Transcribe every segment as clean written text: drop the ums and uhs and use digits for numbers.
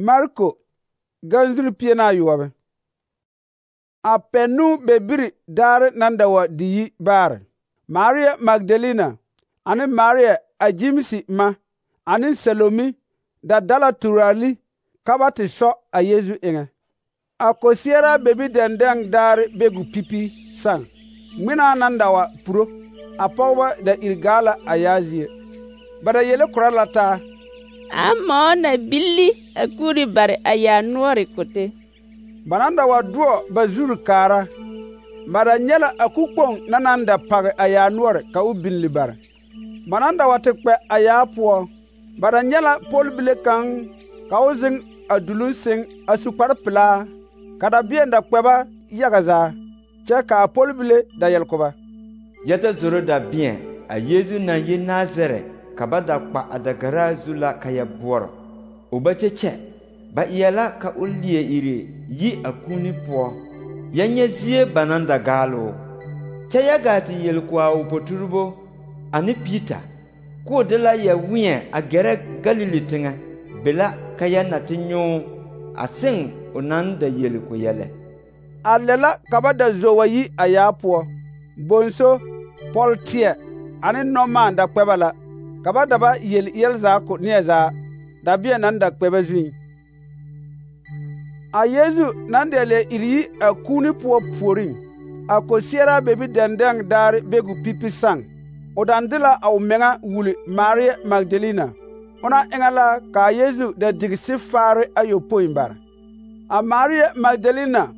Marko ganzuri pienaa yoɔbe. A pennu bebiri daare nan da wa di yi baare. Maria Magdalena ane Maria a Jimsi ma ane Salomi da dala turali ka ba te sɔ a Yesu eŋɛ. A kosiara bebi dɛndɛŋ daare be gu pipi saŋ. Ŋmenaa nan da wa puro, a pɔgeba da iri gaa la a yaa zie. Ba da yele korɔ la taa. Amoo na billi a kuuri bare a yaa noɔre kote. Ba nan da wa doɔ ba zuri kaara. Ba da nyɛ la a kukpoŋ na nan da page a yaa noɔre ka o billi bare. Ba nan da wa te kpɛ a yaa poɔ. Ba da nyɛ la pɔlbile kaŋ ka o zeŋ a duluŋ seŋ a su kpare pelaa, ka dabeɛn da kpɛ ba yaga zaa, kyɛ ka a pɔlbile da yɛl ko ba. Yɛ ta zoro dabeɛn a Yesu naŋ yi Nazarɛ ka ba da kpa a dagaraa zu la ka yɛ boɔrɔ. O ba kyɛkyɛ, ba eɛ la ka o leɛ iri yi a kuuni poɔ. Yɛ nyɛ zie ba naŋ da gaaloo. Kyɛ yɛ gaa te yel ko a o poturebo ane Piita, k'o de la yɛ wẽɛ a gɛrɛ Galili teŋɛ, be la ka yɛ na te nyõo a seŋ o naŋ da yeli ko yɛlɛ. A lɛ la ka ba da zo wa yi a yaa poɔ. Bonso, pɔlteɛ ane nɔmaan da kpɛ ba la, ka ba da ba yel yɛlzaa ko neɛ zaa, dabeɛn nan da kpɛ ba zuŋ. A Yesu nan da leɛ iri yi a kuuni poɔ puoriŋ, a kosiara bebi dɛndɛŋ daare be gu pipi saŋ. O dan de la a o meŋa wuli Maria Magdalena. Ona eŋɛ la ka a Yesu da digi sifaare ayopoi bare. A Maria Magdalena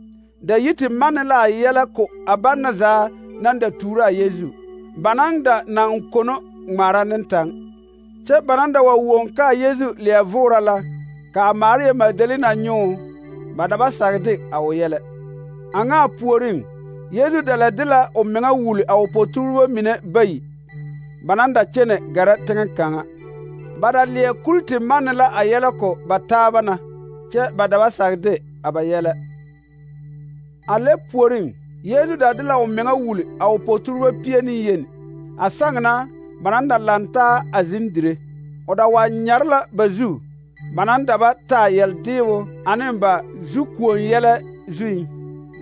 da yi te manne la a yɛlɛ ko a banna zaa nan da tuuro a Yesu, ba nan da naŋ kono ŋmaara ne taŋ. Kyɛ ba nan da wa woŋ ka a Yesu leɛ voora la, ka a Maria Magdalena nyoo, ba da ba sage de a o yɛlɛ. A ŋa a puoriŋ, Yesu da la de la o meŋa wuli a o poturebo mine bayi, ba nan da kyɛnɛ gɛrɛ teŋɛ kaŋa. Ba da leɛ kuli te manne la a yɛlɛ ko ba taaba na, kyɛ ba da ba sage de a ba yɛlɛ. A lɛ puoriŋ, Yesu da de la o meŋa wuli a o poturebo pie ne yeni. A saŋ na, ba nan da lantaa a zeŋ dire. O da wa nyare la ba zu, ba nan da ba taa yɛldeebo ane ba zukuon yɛlɛ zuŋ.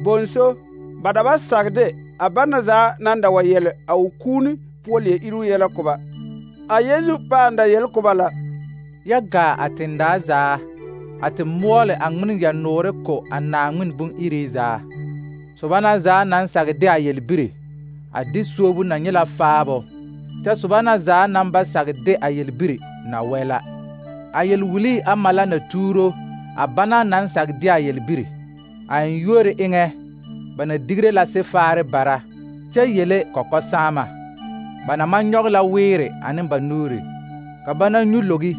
Bonso, ba da ba sage de a banna zaa nan da wa yɛlɛ a o kuuni poɔ leɛ iri yɛlɛ ko ba. A Yesu pãã da yel ko ba la. Yɛ gaa a tendaa zaa, a te moɔle a ŋmen yɛ noore ko a Naaŋmen bon-iri zaa. Soba na zaa naŋ sage de a yelbiri, a de suobu na nyɛ la faabo, kyɛ soba na zaa naŋ ba sage de a yelbiri na wɛ la. A yelwulii ama la na tuuro a bana naŋ sage de a yelbiri. A eŋyuori eŋɛ, ba na digre la sifaare bara, kyɛ yele kɔkɔsaama. Ba na maŋ nyɔge la weere ane ba nuuri, ka ba na nyu logi,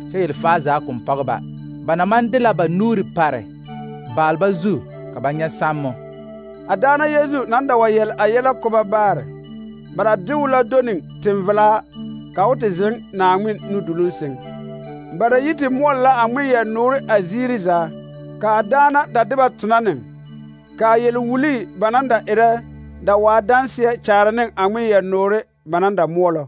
kyɛ yelfaa zaa koŋ pɔge ba. Ba na maŋ de la ba nuuri pare baalba zu ka ba nyɛ sammo. A daana Yesu nan da wa yɛl a yɛlɛ ko ba baare. Ba da de o la do ne tenvelaa, ka o te zeŋ Naaŋmen nuduluŋ seŋ. Ba da yi te moɔle la a ŋmen yɛ noore a ziiri zaa, ka a daana da de ba tona neŋ, ka a yelwulii ba nan da erɛ da waa danseɛ kyaare ne a ŋmen yɛ noore ba nan da moɔlɔ.